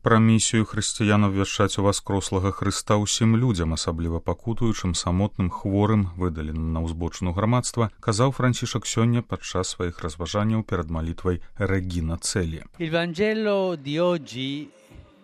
Пра місію хрысціян абвяшчаць уваскрослага Хрыста ўсім людзям, асабліва пакутуючым, самотным, хворым, выдаленым на ўзбочыну грамадства, казаў Францішак сёння падчас сваіх разважанняў перад малітвай Регіна Целі. Il Vangelo di oggi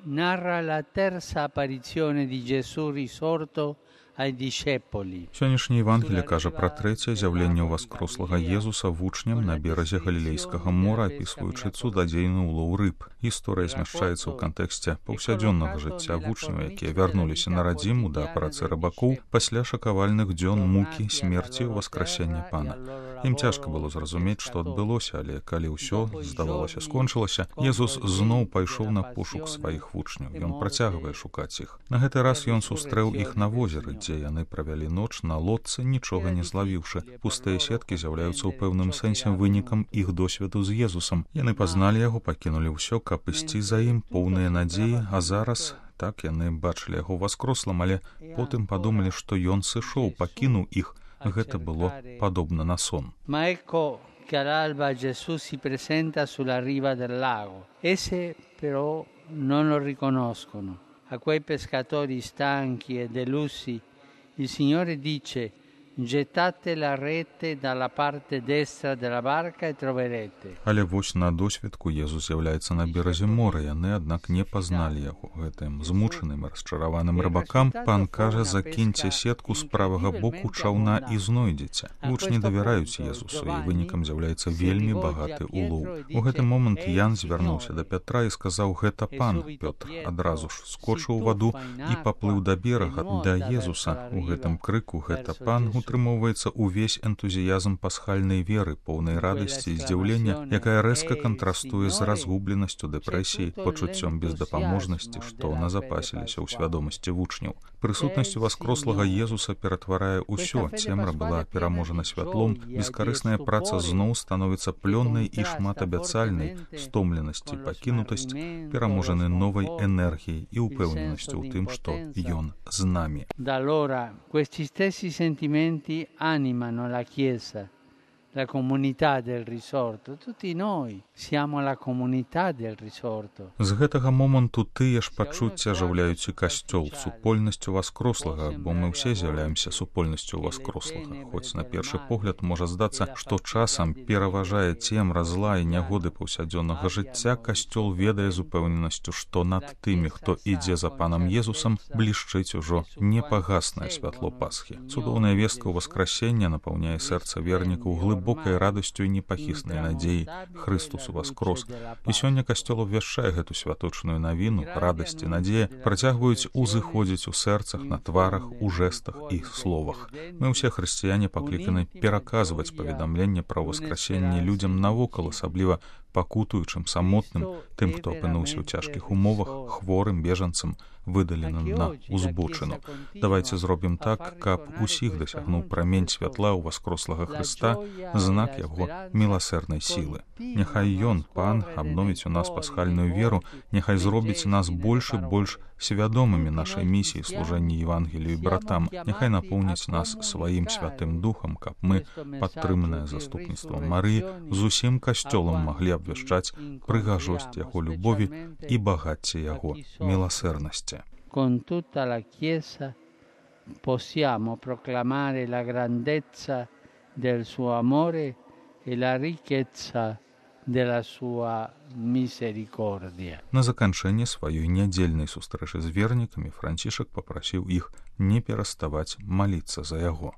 narra la terza apparizione di Gesù risorto ai discepoli. Сённяшняе Евангелие кажа пра трэцяе з'яўленне ўваскрослага Езуса вучням на беразе Галілейскага мора, апісваючы цудадзейны ўлоў рыб. Гісторыя змяшчаецца ў кантэксце паўсядзённага жыцця вучняў, якія вярнуліся на радзіму да працы рыбакоў пасля шакавальных дзён мукі, смерці і ўваскрасення Пана. Ім цяжка было зразумець, што адбылося, але калі ўсё, здавалася, скончылася, Езус зноў пайшоў на пошук сваіх вучняў. Ён працягвае шукаць іх. На гэты раз ён сустрэў іх на возеры, дзе яны правялі ноч на лодцы, нічога не злавіўшы. Пустыя сеткі з'яўляюцца ў пэўным сэнсе вынікам іх досведу з Езусам. Яны пазналі яго, пакінулі ўсё, каб ісці за ім, поўныя надзеі, а зараз так яны бачылі яго воскрослым, але потым падумалі, што ён сышоў, пакінуў іх. Гэта было падобна на сон. Ma ecco che all'alba Gesù si presenta sulla riva del lago. Esse però non lo riconoscono. A quei pescatori stanchi e delusi il Signore dice: gettate la rete dalla parte destra della barca e troverete. Але вось на досведку Езус з'яўляецца на беразе мора, яны, аднак, не пазналі яго. Гэтым змучаным і расчараваным рыбакам Пан кажа: закіньце сетку з правага боку чаўна і знойдзеце. Вучні давяраюць Езусу, і вынікам з'яўляецца вельмі багаты улоў. У гэты момант Ян звярнуўся да Пятра і сказаў: гэта Пан. Пётр адразу ж скочыў у ваду і паплыў да берага, да Езуса. У гэтым крыку «гэта Пан» утрымоўваецца ўвесь энтузіязм пасхальнай веры, поўнай радасці і здзіўлення, якая рэзка кантрастуе з разгубленасцю, дэпрэсіяй, пачуццём бездапаможнасці, што назапасіліся ў свядомасці вучняў. Прысутнасць уваскрослага Езуса ператварае ўсё. Цемра была пераможана святлом, бескарысная праца зноў становіцца плённай і шматабяцальнай, стомленасць і пакінутасць пераможаны новай энергіяй і упэўненасцю ў тым, што ён з намі. Da allora questi stessi sentimenti animano la Chiesa, la comunità del risorto. Tutti noi siamo la comunità del risorto. З гэтага моманту тыя ж пачуцці ажыўляюць і касцёл, супольнасць уваскрослага, бо мы ўсе з'яўляемся супольнасцю уваскрослага. Хоць на першы погляд можа здацца, што часам пераважае цемра, зла і нягоды паўсядзённага жыцця, касцёл ведае з упэўненасцю, што над тымі, хто ідзе за Панам Езусам, блішчыць ужо непагаснае святло Пасхі. Цудоўная вестка ўваскрасення напаўняе сэрца вернікаў глыбокай радасцю і непахіснай надзеяй. Хрыстус уваскрос. І сёння касцёл абвяшчае гэту святочную навіну, радасць і надзея працягваюць узыходзіць у сэрцах, на тварах, у жэстах і словах. Мы ўсе хрысціяне пакліканы пераказваць паведамленне пра ўваскрасенне людзям навокал, асабліва пакутуючым, самотным, тым, хто апынуўся ў цяжкіх умовах, хворым, бежанцам, выдаленым на узбочыну. Давайце зробім так, каб усіх дасягнуў прамень святла ўваскрослага Хрыста, знак яго міласэрнай сілы. Няхай ён, Пан, абновіць у нас пасхальную веру, няхай зробіць нас больш і больш свядомымі нашай місіі служэння Евангелію і братам, няхай напоўніць нас сваім святым духам, каб мы, падтрыманыя заступніцтвам Марыі, з усім касцёлам маглі абвяшчаць прыгажосць яго любові і багацце яго міласэрнасці. Con tutta la Chiesa possiamo proclamare la grandezza del suo amore e la ricchezza della sua misericordia. На заканчэнне сваёй нядзельнай сустрэчы з вернікамі Францішак папрасіў іх не пераставаць маліцца за яго.